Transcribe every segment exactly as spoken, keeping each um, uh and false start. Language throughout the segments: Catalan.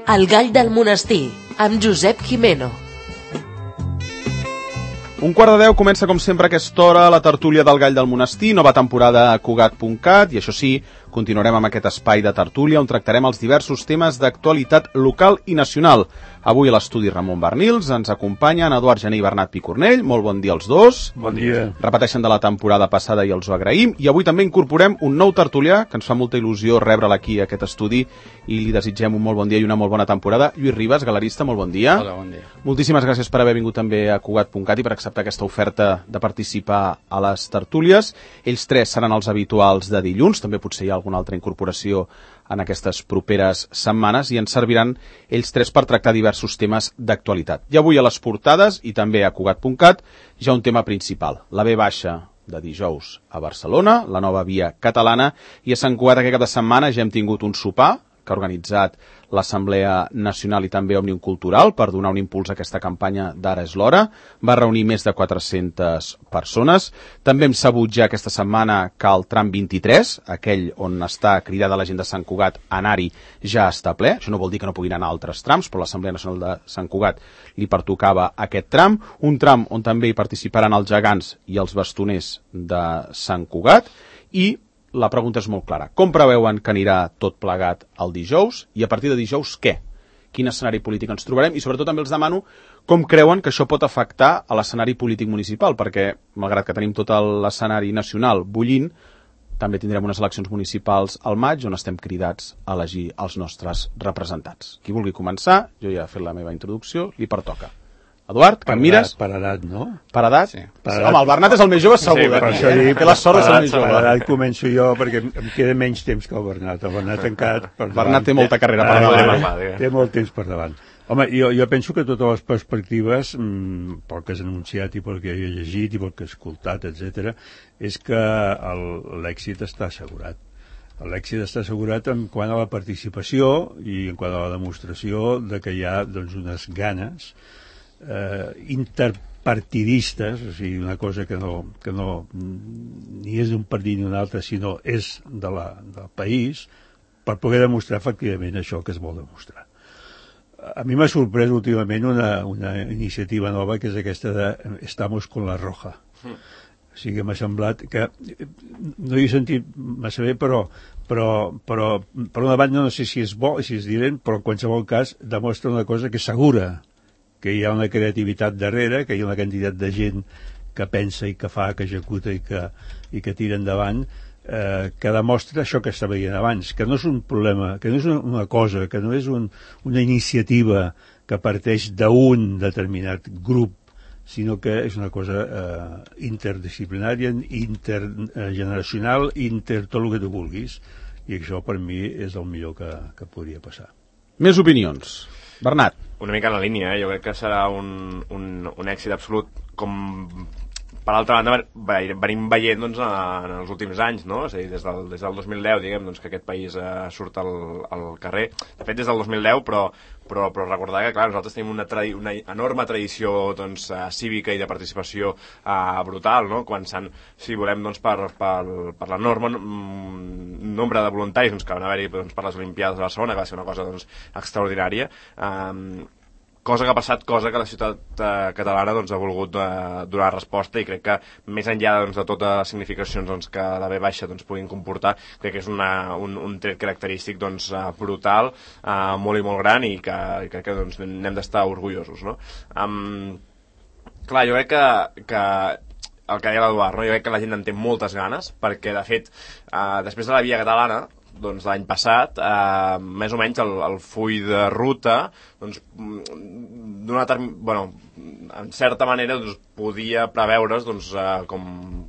El gall del monestir, amb Josep Jimeno. Un quart de deu comença com sempre a aquesta hora la tertúlia del gall del monestir, nova temporada a Cugat punt cat, i això sí, continuarem amb aquest espai de tertúlia on tractarem els diversos temes d'actualitat local i nacional. Avui a l'estudi Ramon Bernils ens acompanyen Eduard Gené i Bernat Picornell. Molt bon dia als dos. Bon dia. Repeteixen de la temporada passada i els ho agraïm. I avui també incorporem un nou tertulià, que ens fa molta il·lusió rebre'l aquí a aquest estudi, i li desitgem un molt bon dia i una molt bona temporada. Lluís Ribas, galerista, molt bon dia. Hola, bon dia. Moltíssimes gràcies per haver vingut també a Cugat punt cat i per acceptar aquesta oferta de participar a les tertúlies. Ells tres seran els habituals de dilluns, també potser hi ha alguna altra incorporació en aquestes properes setmanes, i ens serviran ells tres per tractar diversos temes d'actualitat. I avui a les portades, i també a Cugat punt cat, ja un tema principal, la ve baixa de dijous a Barcelona, la nova via catalana, i a Sant Cugat aquest cap de setmana ja hem tingut un sopar que ha organitzat l'Assemblea Nacional i també Òmnium Cultural per donar un impuls a aquesta campanya d'Ara és l'hora. Va reunir més de quatre-centes persones. També hem sabut ja aquesta setmana que el tram vint-i-tres, aquell on està cridada la gent de Sant Cugat a anar-hi, ja està ple. Això no vol dir que no puguin anar a altres trams, però l'Assemblea Nacional de Sant Cugat li pertocava aquest tram. Un tram on també hi participaran els gegants i els bastoners de Sant Cugat. I la pregunta és molt clara. Com preveuen que anirà tot plegat el dijous? I a partir de dijous, què? Quin escenari polític ens trobarem? I sobretot també els demano com creuen que això pot afectar a l'escenari polític municipal, perquè, malgrat que tenim tot l'escenari nacional bullint, també tindrem unes eleccions municipals al maig on estem cridats a elegir els nostres representants. Qui vulgui començar, jo ja he fet la meva introducció, li pertoca. Eduard, que em mires? Per edat, no? Per edat? Sí. Per edat. Home, el Bernat és el més jove, segur. Sí, per això dic, té la sort de ser el més jove. Per edat començo jo, perquè em queda menys temps que el Bernat. El Bernat encara per davant. Bernat té molta carrera per davant. Té molt temps per davant. Home, jo, jo penso que totes les perspectives, mmm, pel que has anunciat i pel que he llegit i pel que he escoltat, etcètera, és que l'èxit està assegurat. L'èxit està assegurat en quant a la participació i en quant a la demostració de que hi ha doncs, unes ganes eh, interpartidistes, o sigui, una cosa que no, que no ni és d'un partit ni un altre, sinó és de la, del país, per poder demostrar efectivament això que es vol demostrar. A mi m'ha sorprès últimament una, una iniciativa nova, que és aquesta de Estamos con la Roja. Mm. O sigui, m'ha semblat que no hi he sentit massa bé, però, però, però per una banda no sé si és bo, si és dirent, però en qualsevol cas demostra una cosa que és segura, que hi ha una creativitat darrere, que hi ha una quantitat de gent que pensa i que fa, que executa i que, i que tira endavant, eh, que demostra això que estava dient abans, que no és un problema, que no és una cosa, que no és un, una iniciativa que parteix d'un determinat grup, sinó que és una cosa eh, interdisciplinària, intergeneracional, inter tot el que tu vulguis, i això per mi és el millor que, que podria passar. Més opinions. Bernat. Una mica en la línia, eh? Jo crec que serà un, un, un èxit absolut, com per altra banda venim veient doncs, en els últims anys, no? És a dir, des del, des del dos mil deu, diguem, doncs, que aquest país eh, surt al, al carrer. De fet, des del dos mil deu, però, però, però recordar que, clar, nosaltres tenim una, tradi una enorme tradició doncs, uh, cívica i de participació uh, brutal, no? Començant, si volem, doncs, per, per, per l'enorme mm, nombre de voluntaris doncs, que van haver-hi doncs, per les Olimpiades de Barcelona, que va ser una cosa doncs, extraordinària. Um, cosa que ha passat, cosa que la ciutat eh, catalana doncs, ha volgut eh, donar resposta, i crec que més enllà doncs, de totes les significacions doncs, que la ve baixa doncs, puguin comportar, crec que és una, un, un tret característic doncs, eh, brutal, eh, molt i molt gran, i que, i crec que doncs, n'hem d'estar orgullosos, no? Um, clar, jo crec que, que el que deia l'Eduard, no? Jo crec que la gent en té moltes ganes, perquè de fet eh, després de la via catalana doncs l'any passat, eh, més o menys el, el full de ruta doncs, d'una bueno, en certa manera doncs, podia preveure's doncs, eh, com,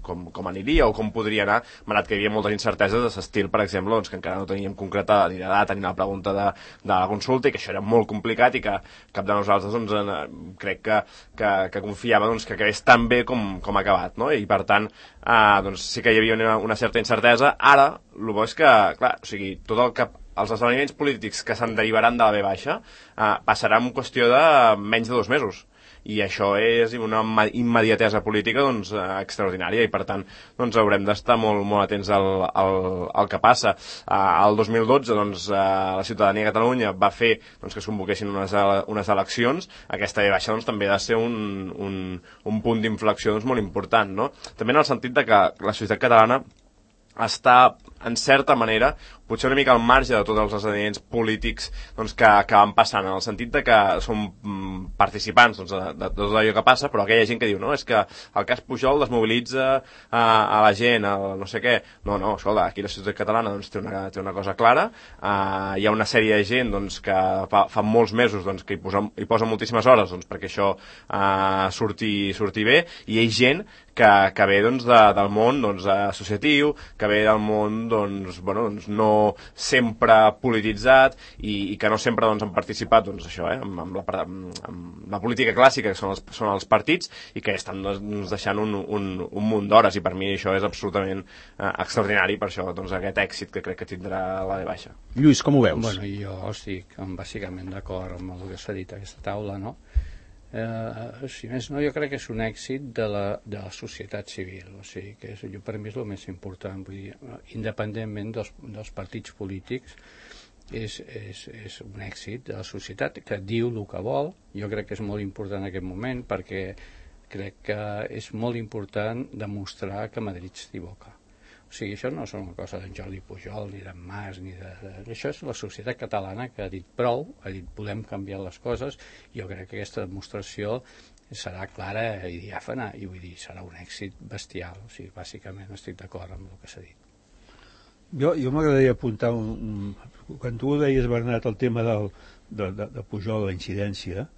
com, com aniria o com podria anar, malgrat que hi havia moltes incerteses de l'estil, per exemple, doncs, que encara no teníem concretada ni la data ni la pregunta de, de la consulta, i que això era molt complicat i que cap de nosaltres doncs, en, crec que, que, que confiava doncs, que acabés tan bé com, com ha acabat, no? I per tant eh, doncs, sí que hi havia una, una certa incertesa. Ara el bo és que, clar, o sigui, tot el que els esdeveniments polítics que se'n derivaran de la ve baixa eh, passarà en qüestió de menys de dos mesos. i això és una immediatesa política doncs, extraordinària, i per tant doncs, haurem d'estar molt, molt atents al, al, al que passa. Uh, el dos mil dotze doncs, uh, la ciutadania de Catalunya va fer doncs, que es convoquessin unes, unes eleccions. Aquesta ve baixa doncs, també ha de ser un, un, un punt d'inflexió doncs, molt important, no? També en el sentit de que la societat catalana està, en certa manera, potser una mica al marge de tots els esdeveniments polítics doncs, que, que van passant, en el sentit de que som mm, participants doncs, de, de, de tot allò que passa, però aquella gent que diu, no, és que el cas Pujol desmobilitza a, a la gent, a no sé què. No, no, escolta, aquí la societat catalana doncs, té, una, té una cosa clara, uh, hi ha una sèrie de gent doncs, que fa, fa molts mesos doncs, que hi posa, hi posa moltíssimes hores doncs, perquè això uh, surti, surti bé, i hi ha gent que, que ve doncs, de, del món doncs, associatiu, que ve del món doncs, bueno, doncs, no sempre polititzat i, i que no sempre doncs, han participat doncs, això, eh, amb, amb, la, amb la política clàssica, que són els, són els partits, i que estan doncs, deixant un, un, un munt d'hores, i per mi això és absolutament eh, extraordinari, per això doncs, aquest èxit que crec que tindrà la V baixa. Lluís, com ho veus? Bueno, jo estic bàsicament d'acord amb el que s'ha dit a aquesta taula, no? Eh, si més no, jo crec que és un èxit de la, de la societat civil, o sigui que és, jo, per mi és el més important, vull dir, independentment dels, dels partits polítics, és, és, és un èxit de la societat que diu el que vol. Jo crec que és molt important en aquest moment, perquè crec que és molt important demostrar que Madrid s'equivoca. O sigui, això no és una cosa d'en Jordi Pujol, ni d'en Mas, ni de, de... Això és la societat catalana que ha dit prou, ha dit podem canviar les coses, i jo crec que aquesta demostració serà clara i diàfana, i vull dir, serà un èxit bestial. O sigui, bàsicament estic d'acord amb el que s'ha dit. Jo, jo m'agradaria apuntar un, un... Quan tu deies, Bernat, el tema del, de, de, de Pujol, de la incidència,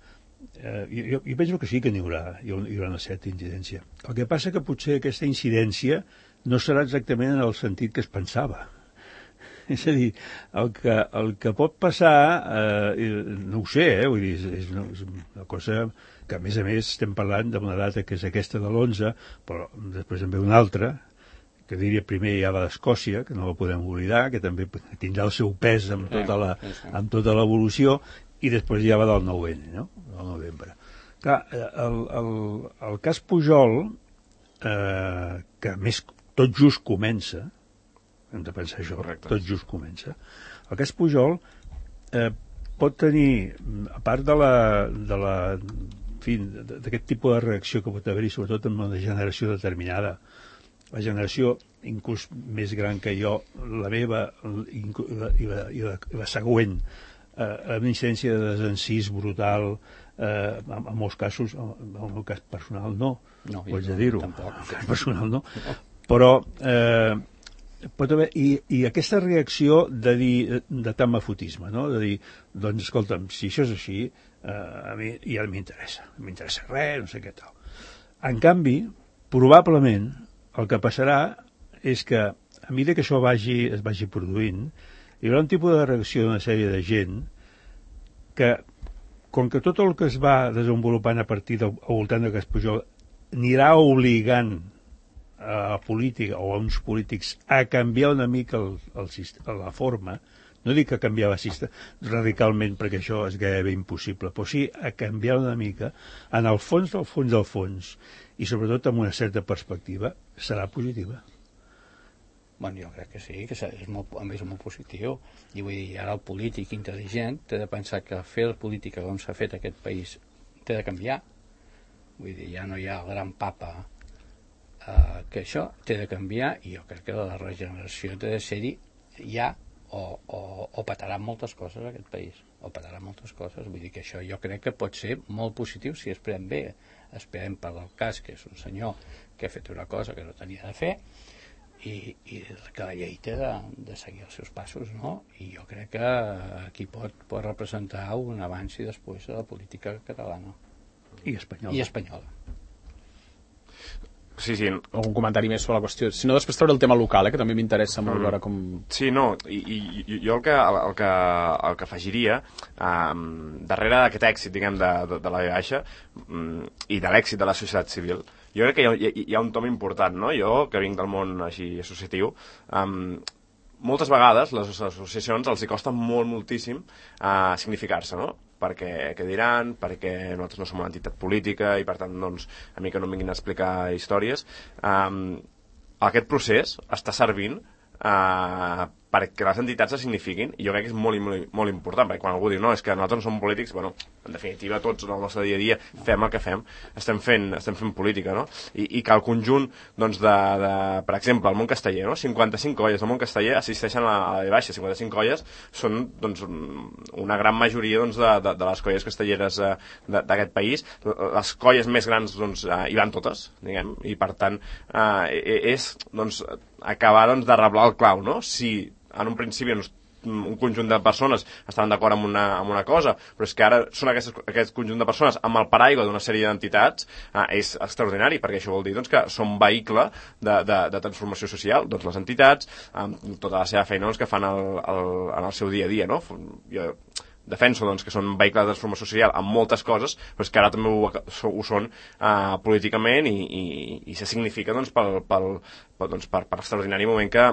eh, jo, jo penso que sí que n'hi haurà, hi haurà una certa incidència. El que passa que potser aquesta incidència no serà exactament en el sentit que es pensava. És a dir, el que, el que pot passar, eh, no ho sé, eh, vull dir, és, és, una, és una cosa que, a més a més, estem parlant d'una data que és aquesta de l'onze, però després en ve una altra, que diria primer ja va d'Escòcia, que no la podem oblidar, que també tindrà el seu pes amb tota la, amb tota l'evolució, i després ja va del nou ene, no? Del novembre. Clar, el, el, el cas Pujol, eh, que més tot just comença, hem de pensar això, correcte. Tot just comença, el cas Pujol eh, pot tenir, a part de la, de la en fi, d'aquest tipus de reacció que pot haver-hi, sobretot en una generació determinada, la generació inclús més gran que jo, la meva i la, i la, i la, i la següent, eh, una incidència de desencís brutal, eh, en, en molts casos, en el meu cas personal no, no ho haig de dir-ho, en el cas personal no, però eh, pot haver, i, i aquesta reacció de dir, de tamafotisme, no? De dir, doncs escolta'm, si això és així, eh, a mi ja no m'interessa, no m'interessa res, no sé què tal. En canvi, probablement, el que passarà és que, a mesura que això vagi, es vagi produint, hi haurà un tipus de reacció d'una sèrie de gent que, com que tot el que es va desenvolupant a partir del, al voltant de Cas Pujol anirà obligant a la política o a uns polítics a canviar una mica el, el, la forma, no dic que canviar la sistema radicalment perquè això és gairebé impossible, però sí a canviar una mica, en el fons del fons del fons, i sobretot amb una certa perspectiva, serà positiva. Bueno, jo crec que sí, que és molt, a més molt positiu, i vull dir, ara el polític intel·ligent té de pensar que fer la política com s'ha fet a aquest país té de canviar. Vull dir, ja no hi ha el gran papa, Uh, que això té de canviar, i jo crec que la regeneració té de ser-hi ja, o, o, o petarà moltes coses a aquest país, o petarà moltes coses. Vull dir que això jo crec que pot ser molt positiu si esperem bé. Esperem per el cas que és un senyor que ha fet una cosa que no tenia de fer, i, i que la llei té de, de seguir els seus passos, no? I jo crec que aquí pot, pot representar un abans i després de la política catalana i espanyola. I espanyola. Sí, sí. Algun comentari més sobre la qüestió? Si no, després treure el tema local, eh, que també m'interessa molt veure com... Sí, no, i, i jo el que, el que, el que afegiria um, darrere d'aquest èxit, diguem, de, de, de la V baixa um, i de l'èxit de la societat civil, jo crec que hi ha, hi, hi ha un tom important, no? Jo, que vinc del món així associatiu, um, moltes vegades les associacions els hi costa molt, moltíssim uh, significar-se, no? perquè què diran, perquè nosaltres no som una entitat política i per tant doncs, a mi que no em vinguin a explicar històries. Um, aquest procés està servint uh, perquè les entitats es signifiquin, i jo crec que és molt, molt, molt important, perquè quan algú diu no, és que nosaltres no som polítics, bueno, en definitiva tots en el nostre dia a dia fem el que fem, estem fent, estem fent política, no? I, i que el conjunt, doncs, de, de, per exemple, el món casteller, no? cinquanta-cinc colles del món casteller assisteixen a la, a la de baixa, cinquanta-cinc colles són, doncs, una gran majoria, doncs, de, de, de les colles castelleres eh, d'aquest país, les colles més grans, doncs, eh, hi van totes, diguem, i per tant, eh, és, doncs, acabar, doncs, de reblar el clau, no? Si en un principi doncs, un conjunt de persones estaven d'acord amb, una, amb una cosa, però és que ara són aquestes, aquest conjunt de persones amb el paraigua d'una sèrie d'entitats, eh, és extraordinari, perquè això vol dir doncs, que són vehicle de, de, de transformació social, doncs les entitats, amb tota la seva feina doncs, que fan el, el, en el seu dia a dia, no? Jo defenso doncs, que són vehicles de transformació social en moltes coses, però és que ara també ho, ho són uh, políticament i, i, i se significa doncs, pel, pel, pel, doncs, per, per l'extraordinari moment que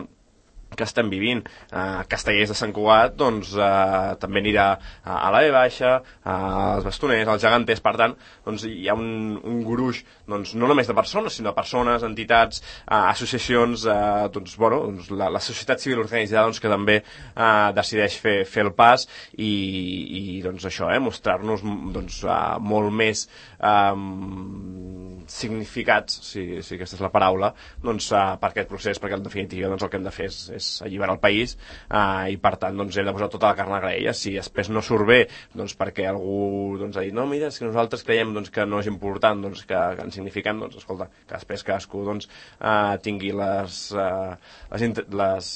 que estem vivint. Uh, Castellers de Sant Cugat doncs, uh, també anirà uh, a la B baixa, uh, als Bastoners, als Geganters, per tant doncs, hi ha un, un gruix doncs, no només de persones, sinó de persones, entitats, uh, associacions, uh, doncs, bueno, doncs, la, la societat civil organitzada doncs, que també uh, decideix fer, fer el pas i, i doncs, això, eh, mostrar-nos doncs, uh, molt més um, significats, si, si aquesta és la paraula, doncs, uh, per aquest procés, perquè en definitiva doncs, el que hem de fer és, és alliberar el país eh, i per tant doncs, hem de posar tota la carn a la graella. Si després no surt bé doncs, perquè algú doncs, ha dit no, mira, és que nosaltres creiem doncs, que no és important doncs, que, que ens signifiquem, doncs escolta, que després cadascú doncs, eh, tingui les, eh, les, les,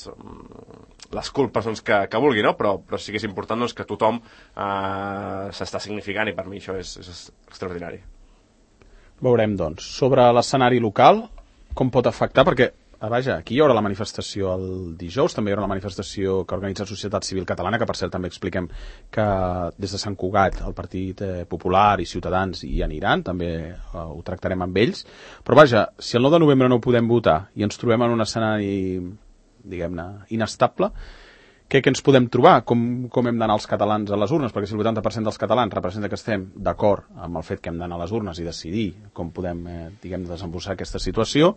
les culpes doncs, que, que vulgui, no? però, però sí que és important doncs, que tothom eh, s'està significant i per mi això és, és extraordinari. Veurem doncs, sobre l'escenari local com pot afectar, perquè Ah, vaja, aquí hi haurà la manifestació el dijous, també hi haurà la manifestació que organitza la Societat Civil Catalana, que per cert també expliquem que des de Sant Cugat el Partit Popular i Ciutadans hi aniran, també eh, ho tractarem amb ells, però vaja, si el nou de novembre no podem votar i ens trobem en un escenari, diguem-ne, inestable, què, què ens podem trobar? Com, com hem d'anar els catalans a les urnes? Perquè si el vuitanta per cent dels catalans representa que estem d'acord amb el fet que hem d'anar a les urnes i decidir com podem, eh, diguem, desembossar aquesta situació,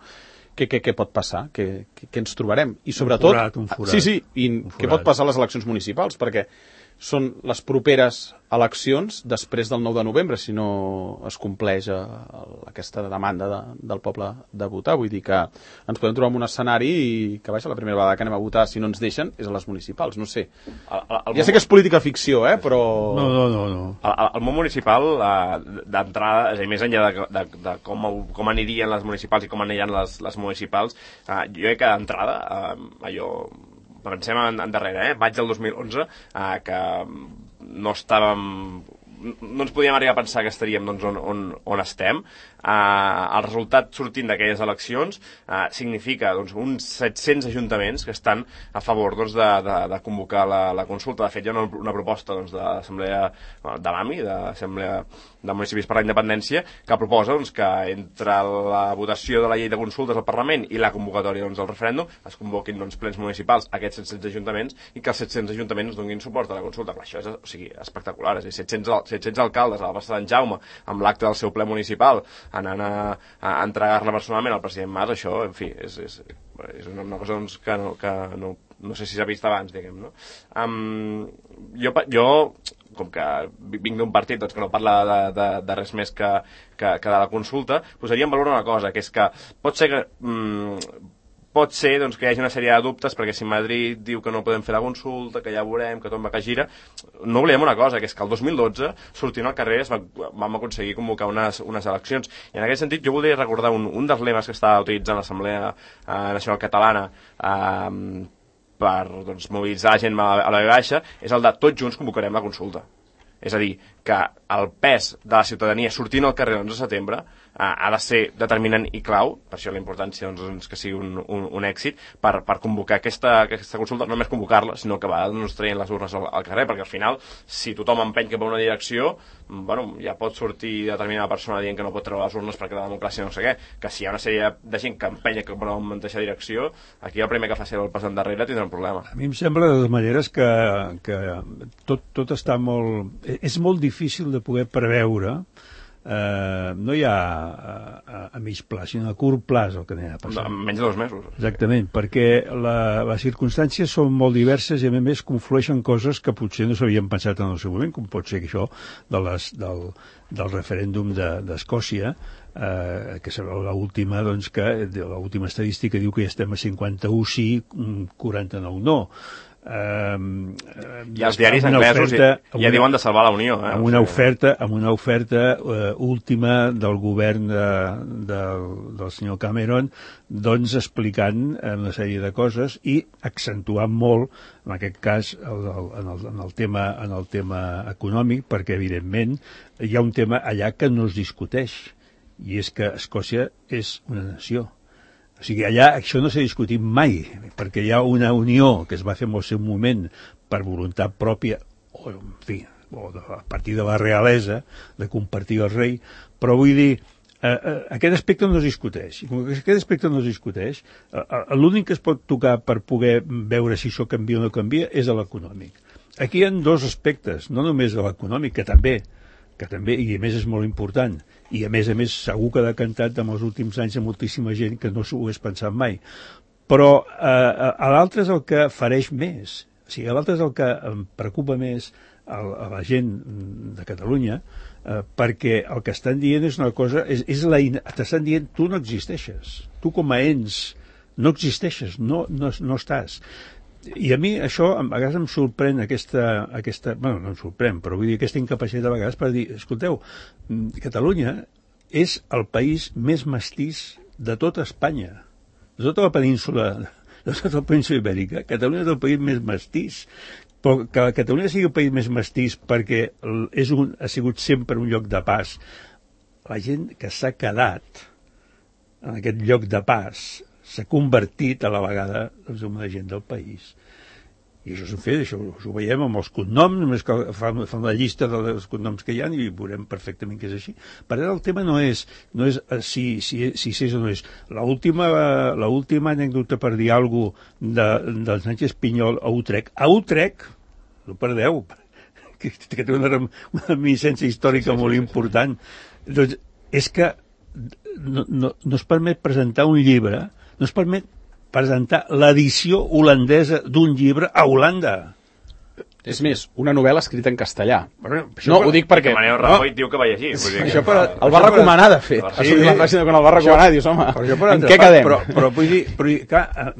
Què, què, què pot passar? Què, què, què ens trobarem? I sobretot... Un forat, un forat. Sí, sí, i què pot passar a les eleccions municipals? Perquè són les properes eleccions després del nou de novembre, si no es compleix eh, aquesta demanda de, del poble de votar. Vull dir que ens podem trobar en un escenari i que, vaja, la primera vegada que anem a votar, si no ens deixen, és a les municipals, no sé. El, el, el ja sé que és política ficció, eh, però... No, no, no. no. El, el món municipal, eh, d'entrada, és a dir, més enllà de, de, de com, com anirien les municipals i com aniran les, les municipals, eh, jo crec que d'entrada, eh, allò... pensem en, en darrere, eh? maig del dos mil onze, eh, que no estàvem... no ens podíem arribar a pensar que estaríem doncs, on, on, on estem. Uh, el resultat sortint d'aquelles eleccions uh, significa doncs, uns set-cents ajuntaments que estan a favor doncs, de, de, de convocar la, la consulta. De fet, hi ha una, una proposta doncs, de l'Assemblea de l'AMI, de l'Assemblea de Municipis per la Independència, que proposa doncs, que entre la votació de la llei de consultes al Parlament i la convocatòria doncs, del referèndum es convoquin doncs, plens municipals a aquests set-cents ajuntaments i que els set-cents ajuntaments donin suport a la consulta. Però això és, o sigui, espectacular. És a dir, set-cents, set-cents alcaldes a la plaça d'en Jaume amb l'acte del seu ple municipal anant a, a entregar-la personalment al president Mas, això, en fi, és, és, és una, una cosa doncs, que, no, que no, no sé si s'ha vist abans, diguem, no? Um, jo, jo, com que vinc d'un partit doncs, que no parla de, de, de res més que, que, que de la consulta, posaria en valor una cosa, que és que pot ser que... Um, pot ser doncs, que hi hagi una sèrie de dubtes, perquè si Madrid diu que no podem fer la consulta, que ja veurem, que tot va que gira, no oblidem una cosa, que és que el dos mil dotze, sortint al carrer, va, vam aconseguir convocar unes, unes eleccions. I en aquest sentit jo voldria recordar un, un dels lemes que estava utilitzant l'Assemblea eh, Nacional Catalana eh, per doncs, mobilitzar la gent a la, a la B baixa, és el de tots junts convocarem la consulta. És a dir, que el pes de la ciutadania sortint al carrer l'onze de setembre ha de ser determinant i clau, per això la importància doncs, que sigui un, un, un èxit, per, per convocar aquesta, aquesta consulta, no només convocar-la, sinó que va doncs, traient les urnes al, al carrer, perquè al final, si tothom empeny cap a una direcció, bueno, ja pot sortir determinada persona dient que no pot treure les urnes perquè la democràcia no sé què, que si hi ha una sèrie de gent que empenya cap a una mateixa direcció, aquí el primer que faci el pas endarrere tindrà un problema. A mi em sembla, de totes maneres, que, que tot, tot està molt... És molt difícil de poder preveure. Uh, no hi ha a, a, a mig pla, sinó a curt pla el que anem a passar. No, menys de dos mesos. Exactament, perquè la, les circumstàncies són molt diverses i a més conflueixen coses que potser no s'havien pensat en el seu moment, com pot ser que això de les, del, del referèndum d'Escòcia, eh, que és l'última, doncs, que l'última estadística diu que ja estem a cinquanta-u sí, quaranta-nou no. Um, i els diaris anglesos oferta, ja, ja una, diuen de salvar la Unió eh? amb una oferta, amb una oferta uh, última del govern de, de, del senyor Cameron, doncs explicant una sèrie de coses i accentuant molt en aquest cas el, el, en, el, en, el tema, en el tema econòmic, perquè evidentment hi ha un tema allà que no es discuteix, i és que Escòcia és una nació. O sigui, allà això no s'ha discutit mai, perquè hi ha una unió que es va fer en el seu moment per voluntat pròpia, o, en fi, o de, a partir de la realesa, de compartir el rei, però vull dir, eh, eh, aquest aspecte no es discuteix. I com que aquest aspecte no es discuteix, eh, eh, l'únic que es pot tocar per poder veure si això canvia o no canvia és l'econòmic. Aquí hi ha dos aspectes, no només de l'econòmic, que també, que també, i a més és molt important, i a més a més segur que ha decantat en els últims anys a moltíssima gent que no s'ho hagués pensat mai. Però eh, a l'altre és el que fareix més, o sigui, a l'altre és el que em preocupa més a, a la gent de Catalunya, eh, perquè el que estan dient és una cosa, és, és la, t'estan dient tu no existeixes, tu com a ens no existeixes, no, no, no estàs. I a mi això a vegades em sorprèn aquesta, aquesta, bueno, no em sorprèn, però vull dir aquesta incapacitat a vegades per dir, escolteu, Catalunya és el país més mestís de tota Espanya, de tota la península, de tota la península ibèrica. Catalunya és el país més mestís, però que Catalunya sigui el país més mestís perquè és un, ha sigut sempre un lloc de pas. La gent que s'ha quedat en aquest lloc de pas s'ha convertit a la vegada doncs, en una gent del país. I això s'ho fet, això, això ho veiem amb els cognoms, només que fan, fan la llista dels cognoms que hi ha i veurem perfectament que és així. Per ara el tema no és, no és si, si, si, si és o no és. L'última l'última anècdota per dir alguna cosa de, del Sánchez Pinyol a Utrecht. A Utrecht, no perdeu, que, que té una, una reminiscència històrica sí, molt sí, important, sí. Doncs és que no, no, no es permet presentar un llibre, no es permet presentar l'edició holandesa d'un llibre a Holanda. És més, una novel·la escrita en castellà. Bueno, no, per... ho dic perquè... Manel Rajoy no. diu que va llegir. Vull dir que... Això per... El va recomanar, de fet. Sí, sí. La frase quan el va recomanar, això... dius, home, en què quedem? Però, però vull dir, però, clar,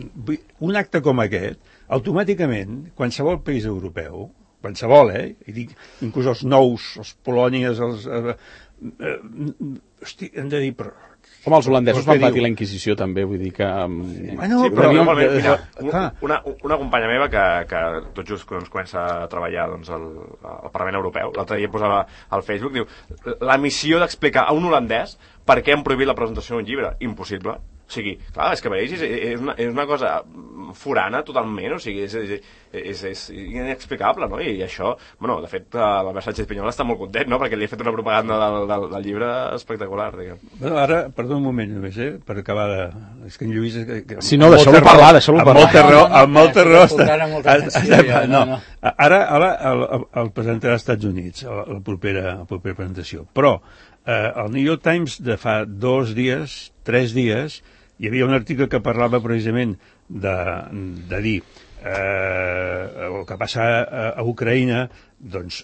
un acte com aquest, automàticament, qualsevol país europeu, qualsevol, eh? I dic, inclús els nous, els Polònies, els... Eh, eh, hosti, hem de dir, però... Home, els holandesos van patir la Inquisició també, vull dir que... Bueno, sí, però, però mira, una, una, una companya meva que, que tot just doncs, comença a treballar doncs, al, al Parlament Europeu, l'altre dia posava al Facebook, diu, la missió d'explicar a un holandès per què han prohibit la presentació d'un llibre. Impossible. O sigui, clar, és que veus, és, és, una, és una cosa forana totalment, o sigui, és, és, és, és inexplicable, no? I això, bueno, de fet, l'Albert Sánchez Pinyol està molt content, no?, perquè li ha fet una propaganda del, del, del llibre espectacular, diguem. Bueno, ara, perdó un moment només, eh, per acabar de... És que en Lluís... És que, que, si no, deixeu-lo parlar, deixeu-lo parlar. Amb molta raó, amb molta raó. No, ara, ara el, el presentarà als Estats Units, la, la, propera, la propera presentació. Però eh, el New York Times de fa dos dies, tres dies, hi havia un article que parlava precisament de, de dir eh, el que passa a, a Ucraïna, doncs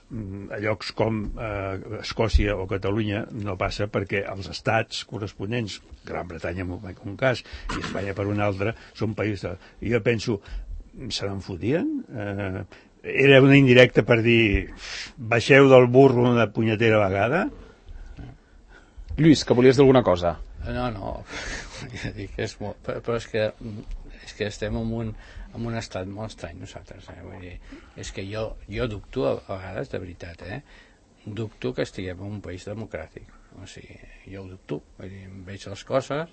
a llocs com eh, Escòcia o Catalunya no passa perquè els estats corresponents, Gran Bretanya en un cas i Espanya per un altre, són països... I jo penso, se n'en fotien? Eh, era una indirecta per dir baixeu del burro una punyetera vegada? Lluís, que volies dir alguna cosa? No, no, dic, és molt, però és que, és que estem en un, en un estat molt estrany nosaltres, eh? Vull dir, és que jo, jo dubto a vegades, de veritat, eh? dubto que estiguem en un país democràtic. O sigui, jo ho dubto. Vull dir, em veig les coses.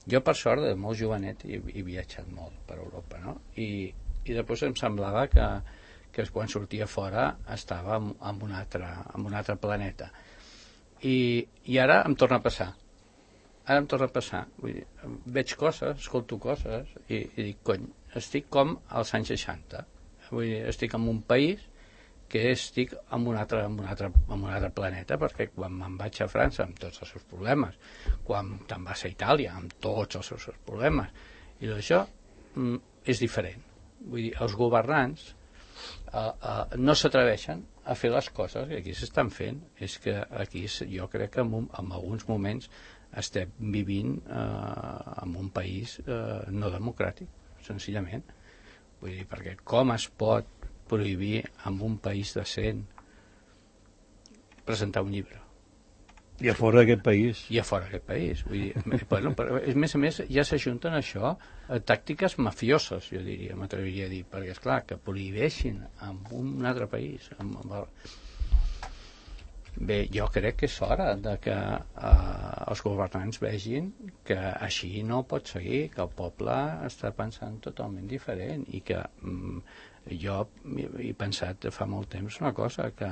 Jo, per sort, de molt jovenet he, he viatjat molt per Europa, no? I, i després em semblava que, que quan sortia fora estava en, en, un altre, en un altre planeta. I, i ara em torna a passar. Ara em torna a passar. Vull dir, veig coses, escolto coses i, i dic, cony, estic com als anys seixanta. Vull dir, estic en un país que estic en un, altre, en, un altre, en un altre planeta, perquè quan me'n vaig a França amb tots els seus problemes, quan te'n vas a Itàlia amb tots els seus problemes, i això mm, és diferent. Vull dir, els governants eh, eh, no s'atreveixen a fer les coses que aquí s'estan fent. És que aquí jo crec que en, un, en alguns moments estem vivint eh, en un país eh, no democràtic, senzillament. Vull dir, perquè com es pot prohibir en un país decent presentar un llibre? I a fora d'aquest país. I a fora d'aquest país. Vull dir, bueno, però, a més a més, ja s'ajunten això a tàctiques mafioses, jo diria, m'atreviria a dir, perquè, esclar, que prohibeixin en un altre país. Amb, amb... Bé, jo crec que és hora de que eh, els governants vegin que així no pot seguir, que el poble està pensant totalment diferent i que mm, jo he pensat fa molt temps una cosa, que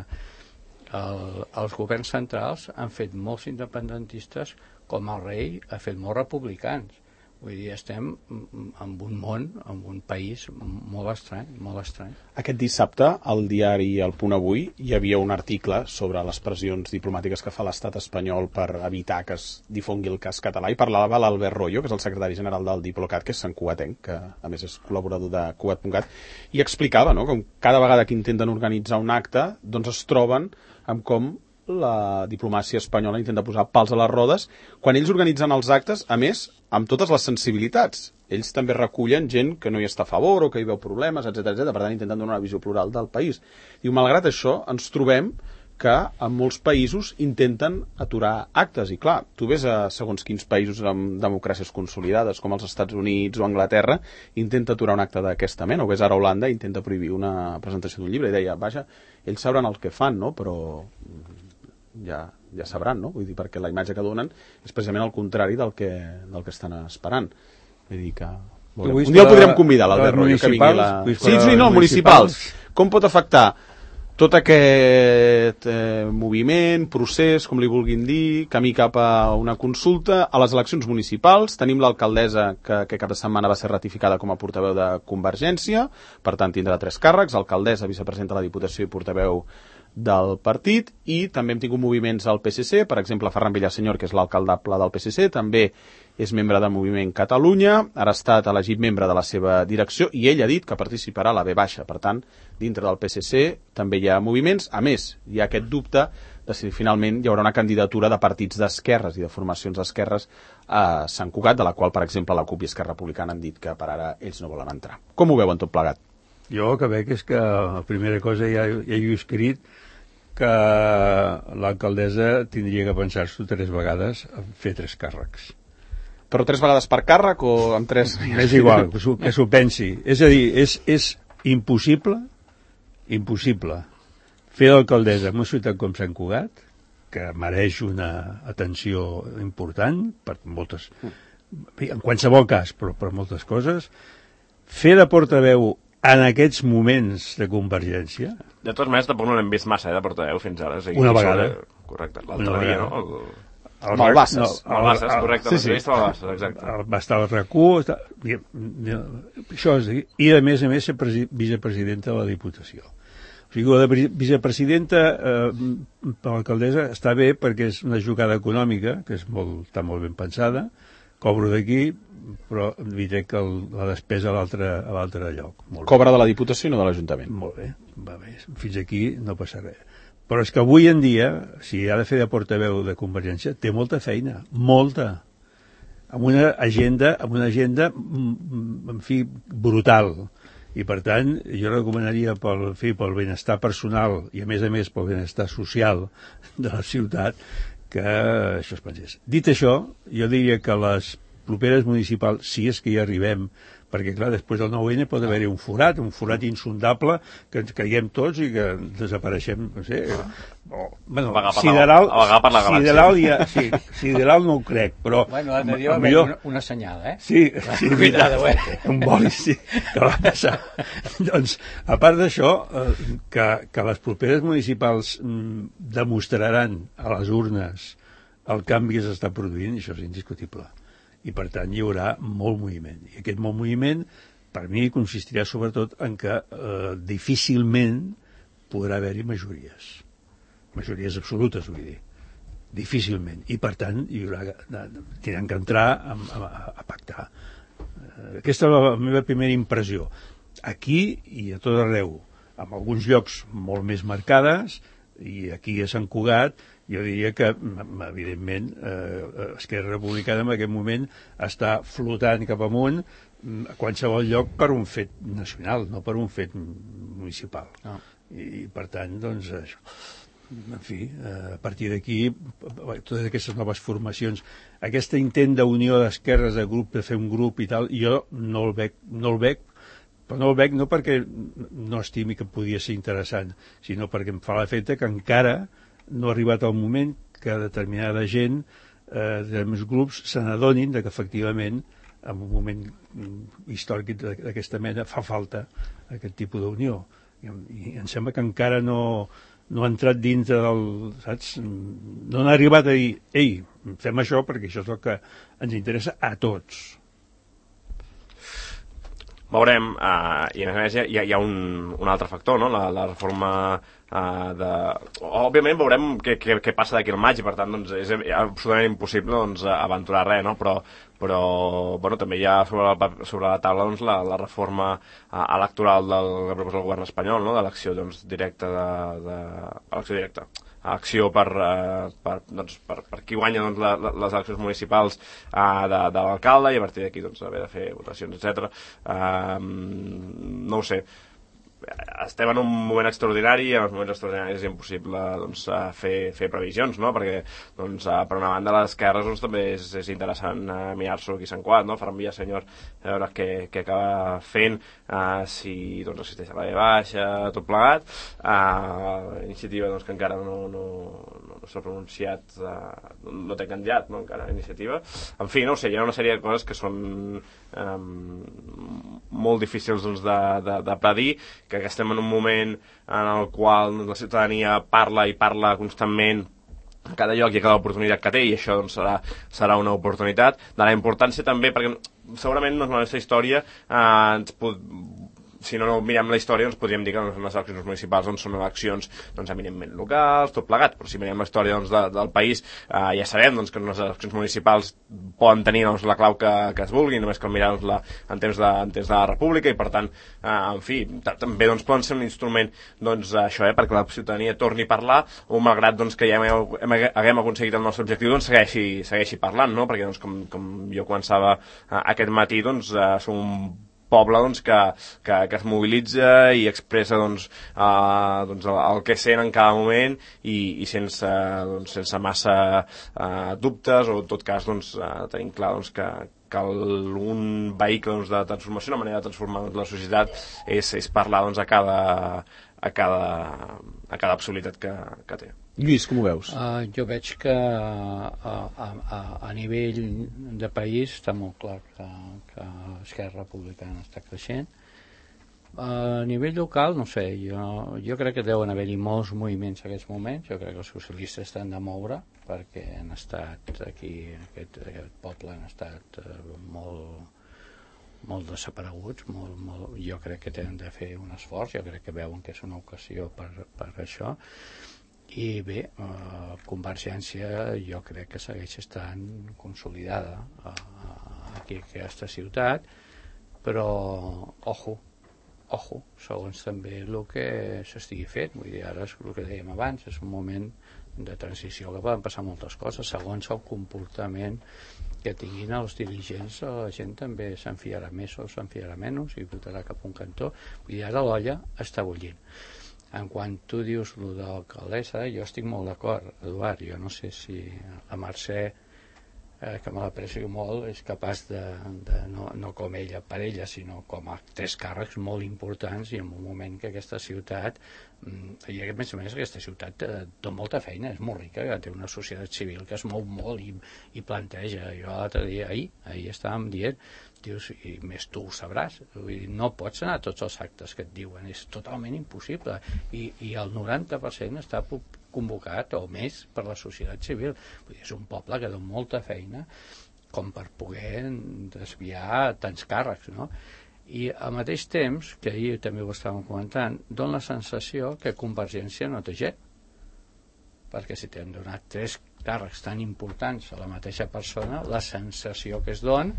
el, els governs centrals han fet molts independentistes com el rei ha fet molts republicans. Vull dir, estem en un món, en un país molt estrany, molt estrany. Aquest dissabte, al diari El Punt Avui, hi havia un article sobre les pressions diplomàtiques que fa l'estat espanyol per evitar que es difongui el cas català, i parlava l'Albert Royo, que és el secretari general del Diplocat, que és santcugatenc, que a més és col·laborador de Cugat punt cat, i explicava, no?, com cada vegada que intenten organitzar un acte, doncs es troben amb com la diplomàcia espanyola intenta posar pals a les rodes quan ells organitzen els actes, a més, amb totes les sensibilitats. Ells també recullen gent que no hi està a favor o que hi veu problemes, etcètera, etcètera. Per tant, intenten donar una visió plural del país. Diu, malgrat això, ens trobem que en molts països intenten aturar actes. I clar, tu ves a segons quins països amb democràcies consolidades, com els Estats Units o Anglaterra, intenta aturar un acte d'aquesta mena. O ves ara a Holanda, intenta prohibir una presentació d'un llibre. I deia, vaja, ells sabran el que fan, no?, però ja, ja sabran, no? Vull dir, perquè la imatge que donen és precisament el contrari del que, del que estan esperant. Vull dir que... Un dia el podrem convidar, l'Albert Royo, que vingui la... Sí, sí, no, municipals. Com pot afectar tot aquest eh, moviment, procés, com li vulguin dir, camí cap a una consulta, a les eleccions municipals? Tenim l'alcaldessa que, que cap de setmana va ser ratificada com a portaveu de Convergència, per tant tindrà tres càrrecs, alcaldessa, vicepresidenta de la Diputació i portaveu del partit, i també hem tingut moviments al P S C, per exemple Ferran Villasenyor, que és l'alcaldable del P S C, també és membre del Moviment Catalunya, ara ha estat elegit membre de la seva direcció i ell ha dit que participarà a la B baixa. Per tant, dintre del P S C també hi ha moviments. A més, hi ha aquest dubte de si finalment hi haurà una candidatura de partits d'esquerres i de formacions d'esquerres a Sant Cugat, de la qual, per exemple, la CUP i Esquerra Republicana han dit que per ara ells no volen entrar. Com ho veuen tot plegat? Jo el que veig és que la primera cosa ja, ja he escrit que l'alcaldessa tindria que pensar-s'ho tres vegades a fer tres càrrecs. Però tres vegades per càrrec o amb tres... És igual, que s'ho pensi. És a dir, és, és impossible, impossible fer d'alcaldessa en una ciutat com Sant Cugat, que mereix una atenció important per moltes... En qualsevol cas, però per moltes coses, fer de portaveu en aquests moments de Convergència... De totes maneres, tampoc no l'hem vist massa, eh, de portaveu fins ara. O sigui, una vegada. Sobre... Correcte, l'altre dia, no? El... El Malbasses. No, Malbasses, correcte, sí, sí. Malbasses, exacte. El, va estar al R A C U, està, i, això és, i a més a més ser presi, vicepresidenta de la Diputació. O sigui, la de vicepresidenta eh, per l'alcaldessa està bé perquè és una jugada econòmica, que és molt, està molt ben pensada, cobro d'aquí, però diré que el, la despesa a l'altre lloc. Molt Cobra bé. De la Diputació i no de l'Ajuntament. Molt bé, va bé, fins aquí no passa res. Però és que avui en dia, si ha de fer de portaveu de Convergència, té molta feina, molta, amb una agenda, amb una agenda, en fi, brutal. I per tant, jo recomanaria pel, en fi, pel benestar personal i a més a més pel benestar social de la ciutat que això es pensés. Dit això, jo diria que les properes municipals, si és que hi arribem, perquè clar, després del nou ene pot haver-hi un forat, un forat insondable, que ens caiguem tots i que desapareixem, no sé, o, bueno, sideral, sideral, ja, sí, sideral no ho crec, però... Bueno, l'altre dia va haver una, una senyal, eh? Sí, sí, veritat, un boli, sí, que va passar. Doncs, a part d'això, eh, que, que les properes municipals mm, demostraran a les urnes el canvi que s'està produint, això és indiscutible. I, per tant, hi haurà molt moviment. I aquest molt moviment, per mi, consistirà sobretot en que eh, difícilment podrà haver-hi majories. Majories absolutes, vull dir. Difícilment. I, per tant, hi haurà, tindran que entrar a, a, a pactar. Eh, aquesta és la meva primera impressió. Aquí i a tot arreu, en alguns llocs molt més marcades, i aquí a Sant Cugat, jo diria que, evidentment, eh, Esquerra Republicana en aquest moment està flotant cap amunt a qualsevol lloc per un fet nacional, no per un fet municipal. No. I, per tant, doncs, això. En fi, a partir d'aquí, totes aquestes noves formacions, aquest intent d'unió d'esquerres, de grup, de fer un grup i tal, jo no el veig, no el veig, però no el veig no perquè no estimi que podia ser interessant, sinó perquè em fa l'efecte que encara no ha arribat el moment que determinada gent, eh, determinats grups, se n'adonin que efectivament en un moment històric d'aquesta mena fa falta aquest tipus d'unió. I, i em sembla que encara no, no ha entrat dintre del... saps? No n'ha arribat a dir, ei, fem això perquè això és el que ens interessa a tots. Veurem, uh, i a més a més hi ha, hi ha un, un altre factor, no? la, la reforma uh, de... Òbviament veurem què, què, què passa d'aquí al maig i per tant doncs, és absolutament impossible doncs, aventurar res, no? però, però bueno, també hi ha sobre la, sobre la taula doncs, la, la reforma uh, electoral del que proposa el govern espanyol, no? De l'acció doncs, directa de, de... elecció directa acció per, uh, per, doncs, per, per qui guanya doncs, la, la, les eleccions municipals uh, de, de l'alcalde i a partir d'aquí doncs, haver de fer votacions, etcètera. Uh, no ho sé. Estem en un moment extraordinari i en els moments extraordinaris és impossible doncs, fer, fer previsions, no? Perquè doncs, per una banda les esquerres doncs, també és, és interessant uh, mirar-s'ho aquí a Sant Cugat, no? Ferran Villasenyor, a veure què, què acaba fent, uh, si doncs, assisteix a la B baixa, tot plegat. Uh, iniciativa doncs, que encara no, no, no, no s'ha pronunciat, uh, no, no té candidat, no? Encara iniciativa. En fi, no ho sé, hi ha una sèrie de coses que són um, molt difícils doncs, de, de, de predir, que estem en un moment en el qual la ciutadania parla i parla constantment a cada lloc i a cada oportunitat que té, i això doncs, serà, serà una oportunitat de la importància també, perquè segurament doncs, la nostra història eh, ens pot... si no, no mirem la història, doncs podríem dir que les eleccions municipals doncs, són eleccions doncs, eminentment locals, tot plegat, però si mirem la història doncs, de, del país, eh, ja sabem doncs, que les eleccions municipals poden tenir doncs, la clau que, que es vulgui, només cal mirar doncs, la, en, temps de, en temps de la república, i per tant, eh, en fi, també doncs, poden ser un instrument doncs, això, eh, perquè la ciutadania torni a parlar, o malgrat doncs, que ja hem, hem, haguem aconseguit el nostre objectiu, doncs segueixi, segueixi parlant, no? Perquè doncs, com, com jo començava eh, aquest matí, doncs, eh, som un poble doncs, que, que, que es mobilitza i expressa doncs, uh, doncs, el, el que sent en cada moment i, i sense, doncs, sense massa uh, dubtes, o en tot cas doncs, uh, tenim clar doncs, que, que el, un vehicle doncs, de transformació, una manera de transformar doncs, la societat és, és parlar doncs, a cada a cada, a cada possibilitat que, que té. Lluís, com ho veus? Uh, jo veig que uh, a, a, a nivell de país està molt clar que, que Esquerra Republicana està creixent. Uh, a nivell local, no sé, jo, jo crec que deuen haver-hi molts moviments en aquests moments. Jo crec que els socialistes estan de moure, perquè han estat aquí, aquest, aquest poble han estat uh, molt molt desapareguts, molt, molt, jo crec que tenen de fer un esforç, jo crec que veuen que és una ocasió per, per això, i bé, eh, Convergència jo crec que segueix estant consolidada eh, aquí en aquesta ciutat, però ojo, ojo, segons també el que s'estigui fet, vull dir, ara és el que dèiem abans, és un moment de transició que poden passar moltes coses, segons el comportament que tinguin els dirigents, la gent també s'enfiarà més o s'enfiarà menys i votarà cap a un cantó. Vull dir, ara l'olla està bullint. En quan tu dius el de l'alcaldessa, jo estic molt d'acord, Eduard, jo no sé si la Mercè eh, que me l'aprecio molt, és capaç de, de no, no com ella per ella, sinó com a tres càrrecs molt importants, i en un moment que aquesta ciutat, i a més a més aquesta ciutat eh, té molta feina, és molt rica, que té una societat civil que es mou molt i, i planteja. Jo l'altre dia, ahir, ahir estàvem dient, dius, i més tu ho sabràs, vull dir, no pots anar a tots els actes que et diuen, és totalment impossible, i, i el noranta per cent està convocat o més per la societat civil. Vull dir, és un poble que dona molta feina com per poder desviar tants càrrecs, no? I al mateix temps, que ahir també ho estàvem comentant, dona la sensació que Convergència no té gent, perquè si t'hem donat tres càrrecs tan importants a la mateixa persona, la sensació que es dona,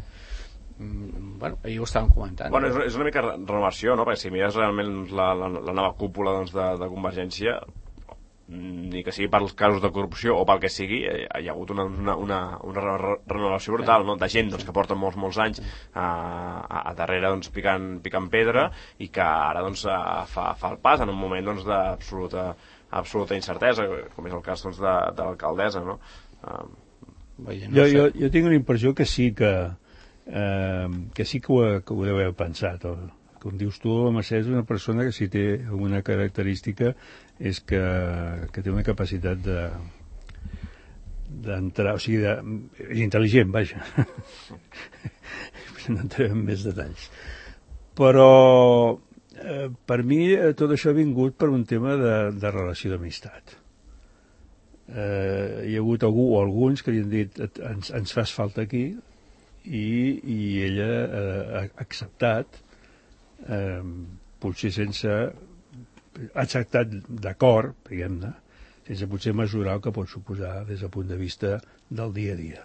mm, bueno, ahir ho estàvem comentant. Bueno, és, és una mica renovació, no? Perquè si mires realment la, la, la nova cúpula doncs, de, de Convergència, ni que sigui per els casos de corrupció o pel que sigui, hi ha hagut una, una, una, una renovació brutal, no? De gent doncs, que porta molts, molts anys a, a, a darrere doncs, picant, picant pedra, i que ara doncs, fa, fa el pas en un moment doncs, d'absoluta absoluta incertesa, com és el cas doncs, de, de l'alcaldessa, no? Uh, jo, jo, jo tinc una impressió que sí que eh, que sí que ho, que ho deu haver pensat. O, com dius tu, la Mercè és una persona que si té alguna característica és que, que té una capacitat de d'entrar, o sigui, de, és intel·ligent, vaja. No entrem en més detalls. Però eh, per mi eh, tot això ha vingut per un tema de, de relació d'amistat. Eh, hi ha hagut algú o alguns que li han dit ens, ens fas falta aquí, i, i ella eh, ha acceptat, eh, potser sense ha acceptat d'acord, diguem-ne, sense potser mesurar el que pot suposar des del punt de vista del dia a dia.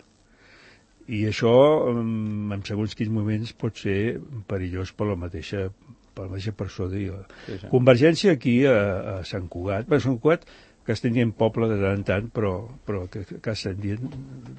I això, en segons quins moments, pot ser perillós per la mateixa, per la mateixa persona. Sí, sí. Convergència aquí a, a Sant Cugat, bé, Sant Cugat, que estem dient poble de tant en tant, però, però que, que estem dient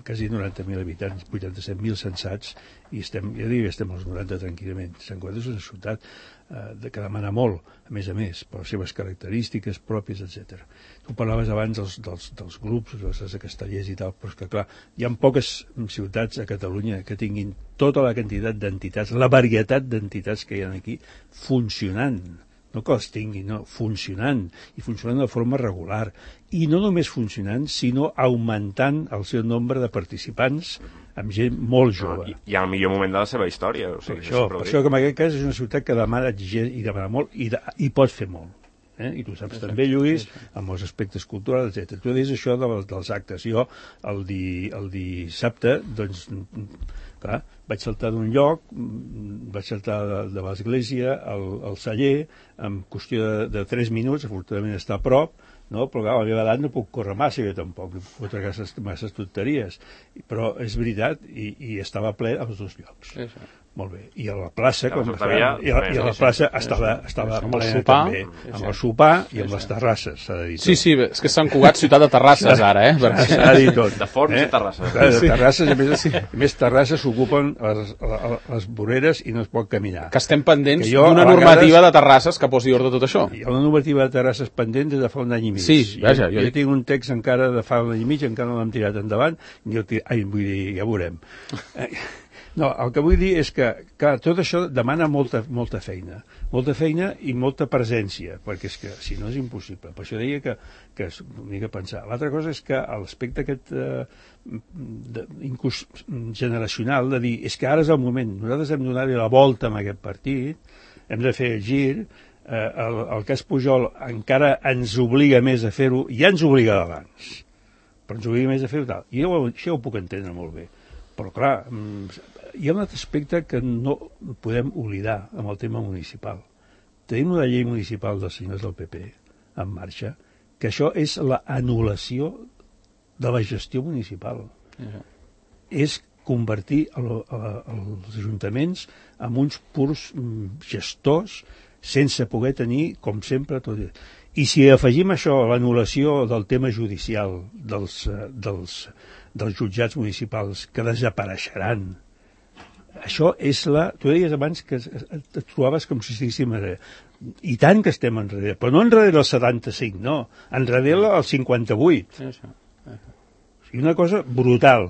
quasi noranta mil habitants, vuitanta-set mil censats, i estem, ja dic, estem als noranta tranquil·lament. Sant Cugat és una ciutat eh, que demana molt, a més a més, per les seves característiques pròpies, etcètera. Tu parlaves abans dels, dels, dels grups, dels de Castellers i tal, però és que, clar, hi ha poques ciutats a Catalunya que tinguin tota la quantitat d'entitats, la varietat d'entitats que hi ha aquí, funcionant. No que els tinguin, no, funcionant, i funcionant de forma regular. I no només funcionant, sinó augmentant el seu nombre de participants amb gent molt jove. No, i, I al millor moment de la seva història. O sigui, per això, per això que en aquest cas és una ciutat que demana gent i demana molt, i, de, i pot fer molt. Eh? I tu saps sí, també, Lluís, sí, sí. Amb els aspectes culturals, etcètera. Tu dius això de, dels actes. Jo, el, di, el dissabte, doncs, clar, vaig saltar d'un lloc, vaig saltar de, de l'església al, al celler, en qüestió de, de tres minuts, afortunadament està a prop, no? Però clar, a la meva edat no puc córrer massa, jo tampoc, no puc fotre masses, masses tonteries. Però és veritat, i, i estava ple als dos llocs. Sí, sí. Molt bé. I a la plaça, com fa, i, a, i a la plaça sí, estava, sí, estava amb el sopar, també, sí, amb el sopar i sí, amb les terrasses, s'ha de dir tot. Sí, sí, és que Sant Cugat, ciutat de terrasses ara, eh? S'ha de dir tot. De forns eh? i terrasses. De terrasses, a més, sí. A més terrasses s'ocupen les, les voreres i no es pot caminar. Que estem pendents d'una normativa de terrasses que posi ordre tot això. Hi ha una normativa de terrasses pendent des de fa un any i mig. Sí, vaja. Jo, jo tinc un text encara de fa un any i mig, encara no l'hem tirat endavant, jo tir... ai, vull dir, ja veurem. No, el que vull dir és que, que tot això demana molta, molta feina, molta feina i molta presència, perquè és que si no és impossible. Per això deia que, que és una mica pensar. L'altra cosa és que l'aspecte aquest eh, de, inclús generacional de dir, és que ara és el moment, nosaltres hem donat la volta amb aquest partit, hem de fer el gir, eh, el, el cas Pujol encara ens obliga més a fer-ho, ja ens obliga abans, però ens obliga més a fer-ho tal. I jo, això ho puc entendre molt bé. Però clar, hi ha un altre aspecte que no podem oblidar amb el tema municipal. Tenim una llei municipal dels senyors del P P en marxa, que això és l'anul·lació de la gestió municipal. Uh-huh. És convertir el, el, els ajuntaments en uns purs gestors sense poder tenir, com sempre, tot. I si afegim això, l'anul·lació del tema judicial dels, dels, dels jutjats municipals que desapareixeran, això és la... Tu deies abans que et trobaves com si estiguéssim enrere. I tant que estem enrere, però no enrere el setanta-cinc, no, enrere el cinquanta-vuit. I una cosa brutal.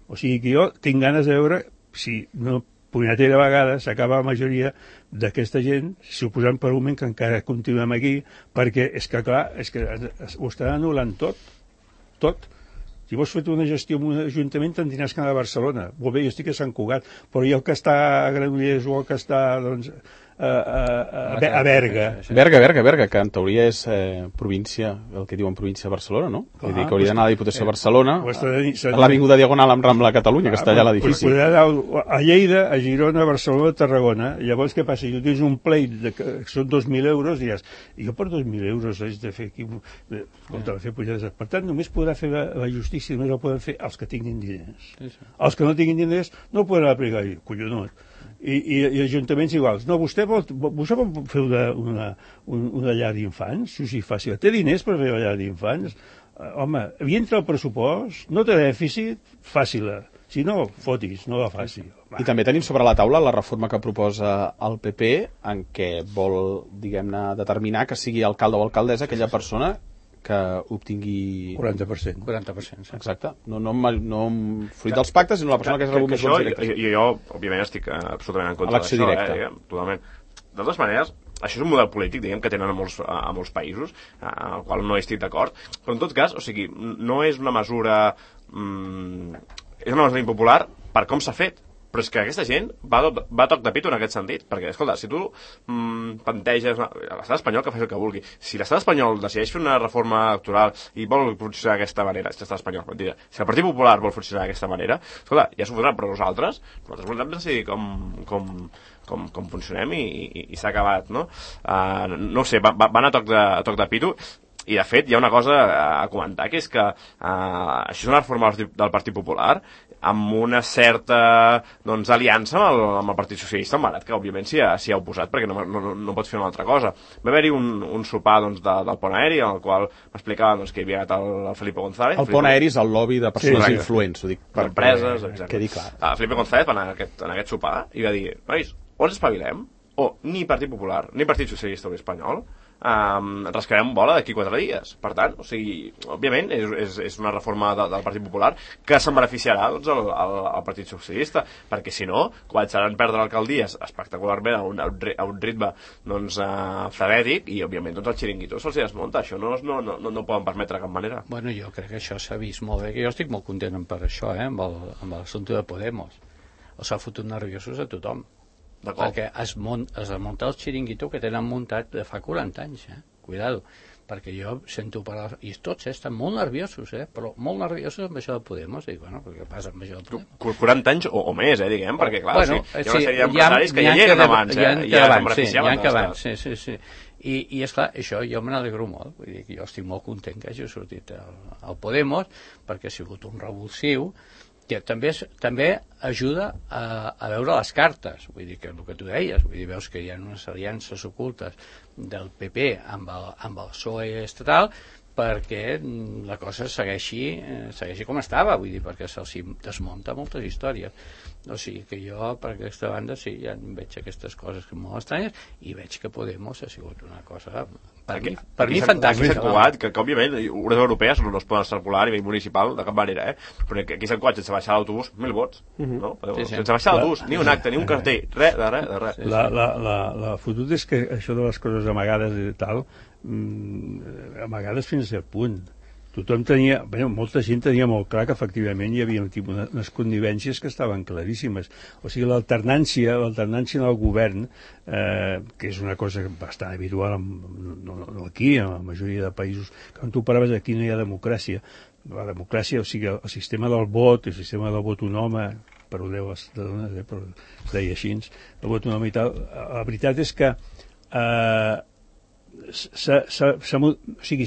O sigui que jo tinc ganes de veure si no punyetera vegada s'acaba la majoria d'aquesta gent suposant per un moment que encara continuem aquí, perquè és que clar, és que ho estan anul·lant tot, tot. Si vols fer una gestió en un ajuntament te'n tindràs que anar a Barcelona. Molt bé, jo estic a Sant Cugat, però i el que està a Granollers o el que està, doncs, a, a, a, a Berga. Berga, Berga, Berga, que en teoria és eh, província, el que diuen província de Barcelona, no? Vull dir que hauria d'anar a la Diputació de Barcelona, a l'Avinguda Diagonal amb Rambla Catalunya, que està allà a l'edifici. Podria anar a Lleida, a Girona, a Barcelona, a Tarragona. Llavors, què passa? Jo tens un pleit de que són dos mil euros, diràs, jo per dos mil euros haig de fer aquí... Escolta, fer pujades. Per tant, només podrà fer la, la justícia, només la poden fer els que tinguin diners. Els que no tinguin diners no poden aplicar. Collonot. I, i, i ajuntaments iguals. No, vostè vol, vostè vol fer una, una, una llar d'infants? Sí, sí, fàcil. Té diners per fer una llar d'infants? Uh, home, hi entra el pressupost, no té dèficit, fàcil. Si no, fotis, no la faci. I també tenim sobre la taula la reforma que proposa el P P, en què vol, diguem-ne, determinar que sigui alcalde o alcaldessa aquella persona que obtingui... quaranta per cent. quaranta per cent, sí. Exacte. No, no, no fruit dels pactes, sinó la persona que, que és rebut més vots directes. Jo, jo, òbviament, estic absolutament en contra d'això. Elecció directa. Eh, totalment. De totes maneres, això és un model polític, diguem, que tenen a molts, a molts països, amb el qual no estic d'acord, però en tot cas, o sigui, no és una mesura... Mm, és una mesura impopular per com s'ha fet. Però és que aquesta gent va, va a toc de pito en aquest sentit, perquè, escolta, si tu mm, planteges una... l'estat espanyol que faci el que vulgui, si l'estat espanyol decideix fer una reforma electoral i vol funcionar d'aquesta manera, si l'estat espanyol, mentida, si el Partit Popular vol funcionar d'aquesta manera, escolta, ja s'ho fotrà, però nosaltres, nosaltres volem decidir com, com, com, com funcionem i, i, i s'ha acabat, no? Uh, no ho sé, va, van a toc de, a toc de pito. I, de fet, hi ha una cosa a comentar, que és que uh, això és una reforma del Partit Popular amb una certa doncs, aliança amb el, amb el Partit Socialista, malgrat que, òbviament, s'hi ha, s'hi ha oposat, perquè no, no, no pot fer una altra cosa. Va haver-hi un, un sopar doncs, de, del pont aeri, en el qual m'explicava doncs, que hi havia el, el Felipe González. El pont aeri és el lobby de persones sí, influents, ho dic. Per empreses, exacte. Quedi clar. Uh, Felipe González va anar en aquest, en aquest sopar i va dir, nois, o ens espavilem, o ni Partit Popular, ni Partit Socialista Obrer Espanyol, Um, rascarem bola d'aquí quatre dies. Per tant, o sigui, òbviament és, és, és una reforma de, del Partit Popular que se'n beneficiarà doncs, el, el, el Partit Socialista, perquè si no començaran a perdre alcaldies espectacularment a un, a un ritme doncs, uh, frenètic, i òbviament doncs, el xiringuito se'ls desmunta. Això no, no, no, no poden permetre de cap manera. Bueno, jo crec que això s'ha vist molt bé, que jo estic molt content per això, eh, amb el, amb l'assumpte de Podemos. Els ha fotut nerviosos a tothom. Perquè es, mont, es munta el xiringuito que tenen muntat de fa quaranta anys, eh? Cuidado, perquè jo sento parlar, i tots eh, estan molt nerviosos, eh? Però molt nerviosos amb això de Podemos, i bueno, què passa amb això de Podemos? quaranta anys o, o més, eh, diguem, perquè clar, bueno, o sigui, hi ha una sèrie d'empresaris que ja hi eren abans, eh? Hi ha que abans, sí, hi ha que abans, sí, sí, sí. I, i esclar, això jo me n'alegro molt, vull dir que jo estic molt content que hagi sortit el, el Podemos, perquè ha sigut un revulsiu, que també, també ajuda a, a veure les cartes, vull dir que el que tu deies, vull dir, veus que hi ha unes aliances ocultes del P P amb el, amb el P S O E estatal perquè la cosa segueixi, eh, segueixi com estava, vull dir, perquè se'ls desmunta moltes històries. O sigui que jo, per aquesta banda, sí, ja veig aquestes coses molt estranyes i veig que Podemos ha sigut una cosa, per aquí, mi, per aquí mi fantàstica. Aquí s'ha que, que, òbviament, les europees no es poden circular a nivell municipal de cap manera, eh? Però aquí s'han coat sense baixar l'autobús, mil vots, no? Sí, sí. Sense baixar l'autobús, ni un acte, ni un cartell, res, de res, de res. Sí, sí. La, la, la, la fotut és que això de les coses amagades i tal, mm, amagades fins a cert punt. Tothom tenia, bé, molta gent tenia molt clar que efectivament hi havia unes connivències que estaven claríssimes. O sigui, l'alternància, l'alternància en el govern, eh, que és una cosa bastant habitual, no, no, no aquí, en la majoria de països, quan tu parlaves aquí no hi ha democràcia. La democràcia, o sigui, el sistema del vot, el sistema del vot un home, perdoneu les dones, eh, però es deia així, el vot un home i tal, la veritat és que eh, s'ha o sigui,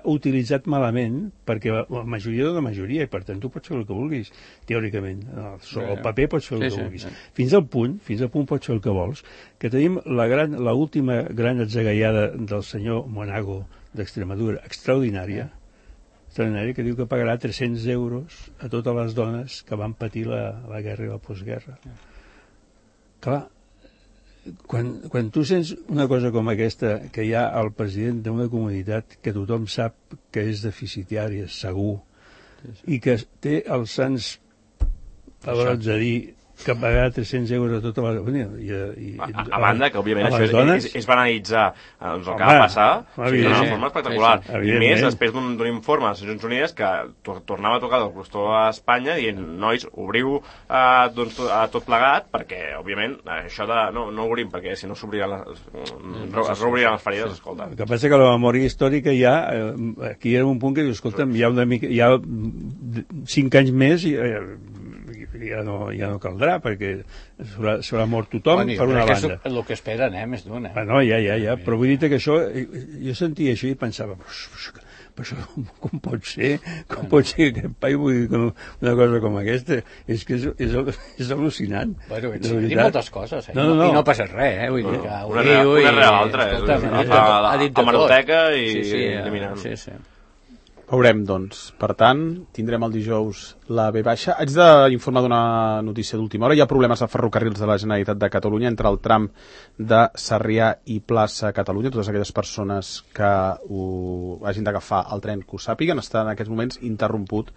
utilitzat malament perquè la majoria de la majoria i per tant tu pots fer el que vulguis teòricament, sobre el paper pots fer el que vulguis, fins al punt fins al punt pots fer el que vols, que tenim la gran, la última gran atzagaiada del senyor Monago d'Extremadura, extraordinària extraordinària, que diu que pagarà tres-cents euros a totes les dones que van patir la, la guerra i la postguerra. Clar, Quan, quan tu sents una cosa com aquesta, que hi ha el president d'una comunitat que tothom sap que és deficitària, segur, sí, sí. i que té els sants Llavors, a dir que pagar tres-cents euros a tota la... I, i, a, a, a banda que, òbviament, això dones... és, és banalitzar doncs, el que va passar d'una forma espectacular. I més després d'un informe de les Nacions Unides que tornava a tocar del clúster a Espanya dient, nois, obriu eh, doncs, a tot plegat, perquè, òbviament, això de... No, no obrim, perquè si no s'obriran les... es reobriran les ferides, escolta. El que passa que la memòria històrica ja... Aquí hi ha un punt que diu, escolta'm, hi ha una mica... Hi ha cinc anys més i... ja no, ja no caldrà, perquè s'haurà mort tothom, bueno, per una banda. És el que esperen, eh, més d'una. Ah, no, ja, ja, ja, però vull dir que això, jo sentia això i pensava, però això com pot ser, com pot ser que aquest país, vull dir, una cosa com aquesta, és que és, és, és al·lucinant. Bueno, ets dir moltes coses, eh? No, no, no. I no passa res, eh? Vull dir que... Una rere l'altra, a l'hemeroteca i eliminant. Sí, sí. Veurem, doncs. Per tant, tindrem el dijous la B baixa. Haig d'informar d'una notícia d'última hora. Hi ha problemes a ferrocarrils de la Generalitat de Catalunya entre el tram de Sarrià i plaça Catalunya. Totes aquelles persones que ho hagin d'agafar el tren que ho sàpiguen, està en aquests moments interromput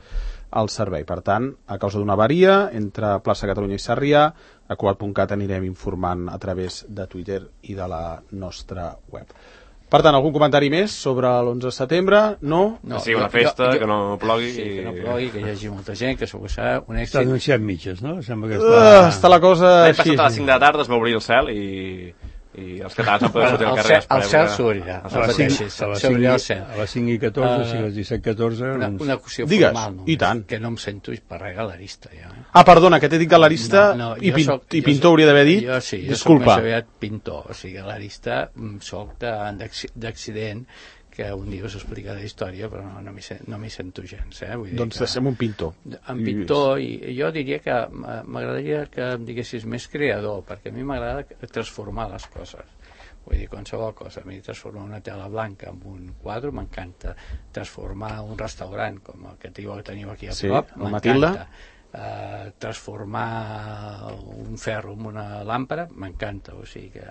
el servei. Per tant, a causa d'una avaria entre plaça Catalunya i Sarrià, a cugat punt cat anirem informant a través de Twitter i de la nostra web. Per tant, algun comentari més sobre l'onze de setembre? No? no que sigui una festa, jo, jo, que no plogui. Sí, que no plogui, que hi hagi molta gent, que segur que serà un èxit. Està anunciat mitges, no? Sembla que està... Uh, està la cosa... L'any passat a les cinc de la tarda es va obrir el cel i... i els catalans han pogut sortir al carrer. El cel s'obrirà, no pateixis, s'obrirà el cel. A les cinc i catorze, si a les disset catorze... Una, una qüestió Digues, formal, no? I tant. Que no em sento per res galerista, ja. Eh? Ah, perdona, que t'he dit galerista no, no, i, pin soc, i pintor hauria d'haver dit. Jo sí, jo disculpa. soc més aviat pintor, o sigui, galerista soc d'accident, que un dia us explica la història, però no, no m'hi no sento gens. Eh? Vull dir doncs que, deixem un pintor. En pintor, i jo diria que m'agradaria que em diguessis més creador, perquè a mi m'agrada transformar les coses. Vull dir, qualsevol cosa. A mi transformar una tela blanca en un quadre m'encanta. Transformar un restaurant, com el que teniu aquí a sí, prop, m'encanta. Uh, transformar un ferro en una làmpara m'encanta, o sigui que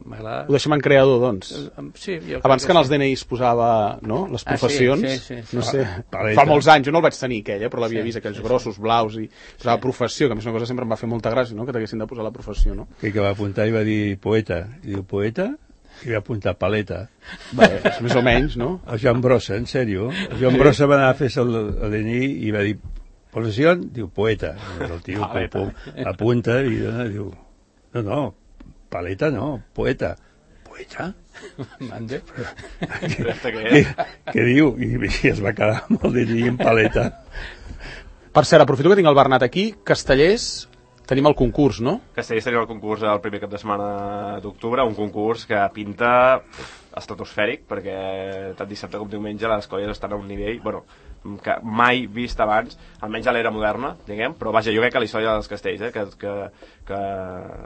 m'agrada. Ho deixem en creador, doncs. Uh, sí, jo abans que, que en els sí. D N Is posava, no?, les professions, ah, sí, sí, sí, sí. no sé, Paleta. Fa molts anys, jo no el vaig tenir aquell, eh, però l'havia sí, vist, aquells sí, grossos, blaus, i posava sí. professió, que a més una cosa sempre em va fer molta gràcia, no?, que t'haguessin de posar la professió, no? Que, que va apuntar i va dir poeta, i diu poeta, i va apuntar paleta. Bé, més o menys, no? El Joan Brossa, en sèrio. El Joan Brossa va anar a fer el, el D N I i va dir professió, diu poeta. El tio pum, pum, apunta i dona, diu no, no, paleta no, poeta. Poeta? Mande? Què, què, què diu? I, I es va quedar amb el D N I en paleta. Per cert, aprofito que tinc el Bernat aquí. Castellers, tenim el concurs, no? Castellers tenim el concurs el primer cap de setmana d'octubre, un concurs que pinta estratosfèric, perquè tant dissabte com diumenge les colles estan a un nivell, bueno, que mai vist abans, almenys a l'era moderna, diguem, però vaja, jo crec que la història dels castells, eh, que, que, que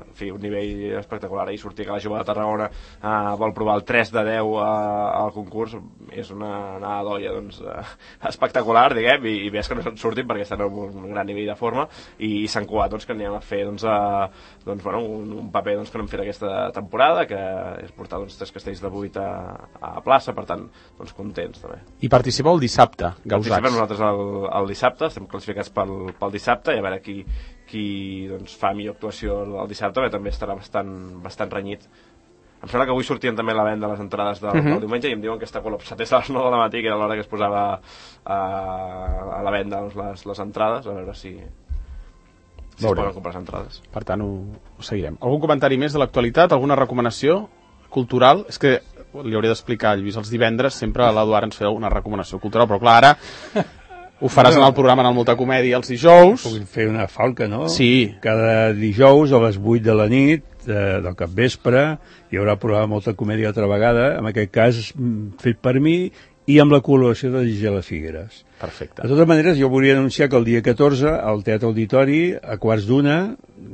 en fi, un nivell espectacular, i sortir que la jove de Tarragona eh, vol provar el tres de deu eh, al concurs, és una anada d'olla, doncs, eh, espectacular, diguem, i, i ves que no se'n surtin perquè estan en un gran nivell de forma, i, i Sant Cugat, doncs, que anem a fer, doncs, a, doncs bueno, un, un paper, doncs, que no hem fet aquesta temporada, que és portar, doncs, tres castells de vuit a, a plaça, per tant, doncs, contents, també. I participeu el dissabte, Gausats. Participem nosaltres el, el dissabte, estem classificats pel, pel dissabte, i a veure qui, qui doncs, fa millor actuació el dissabte, perquè també estarà bastant, bastant renyit. Em sembla que avui sortien també la venda les entrades del, uh-huh. del diumenge, i em diuen que està col·lapsat des de les nou de la matí, que era l'hora que es posava a, a la venda doncs, les, les entrades, a veure si, si es poden comprar les entrades. Per tant, ho, ho seguirem. Algun comentari més de l'actualitat? Alguna recomanació cultural? És que li hauria d'explicar, Lluís, els divendres sempre l'Eduard ens feia una recomanació cultural, però clar, ara ho faràs en el programa en el Molta Comèdia els dijous. Puguin fer una falca, no? Sí. Cada dijous a les vuit de la nit, eh, del capvespre, hi haurà programa Molta Comèdia altra vegada, en aquest cas fet per mi i amb la col·laboració de Gisela Figueres. Perfecte. De totes maneres, jo volia anunciar que el dia catorze, al Teatre Auditori, a quarts d'una,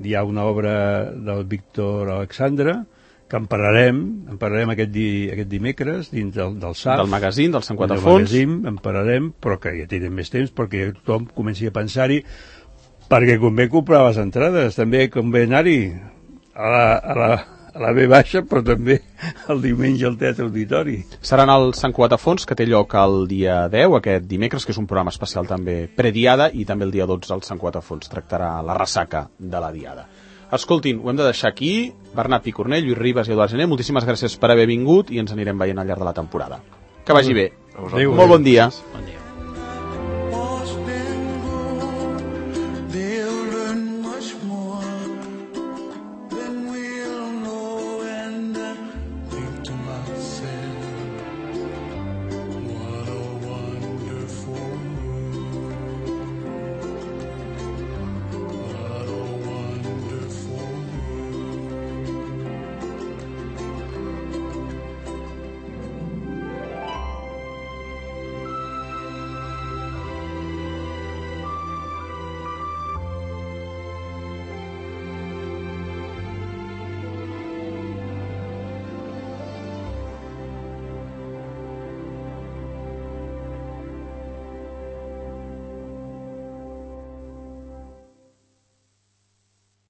hi ha una obra del Víctor Alexandre, que en parlarem, en parlarem aquest, di, aquest dimecres dins del, del S A F. Del magazín, del cent quatre Fons. Del magazín, en parlarem, però que ja tenen més temps perquè tothom comenci a pensar-hi, perquè convé comprar les entrades, també convé anar-hi a la, a la, a la B baixa, però també el diumenge al Teatre Auditori. Seran el Sant Cugat a Fons, que té lloc el dia deu, aquest dimecres, que és un programa especial també prediada, i també el dia dotze el Sant Cugat a Fons tractarà la ressaca de la diada. Escoltin, ho hem de deixar aquí. Bernat Picornell, Lluís Ribas i Eduard Gené, moltíssimes gràcies per haver vingut i ens anirem veient al llarg de la temporada. Que vagi bé. Adéu. Molt bon dia. Bon dia.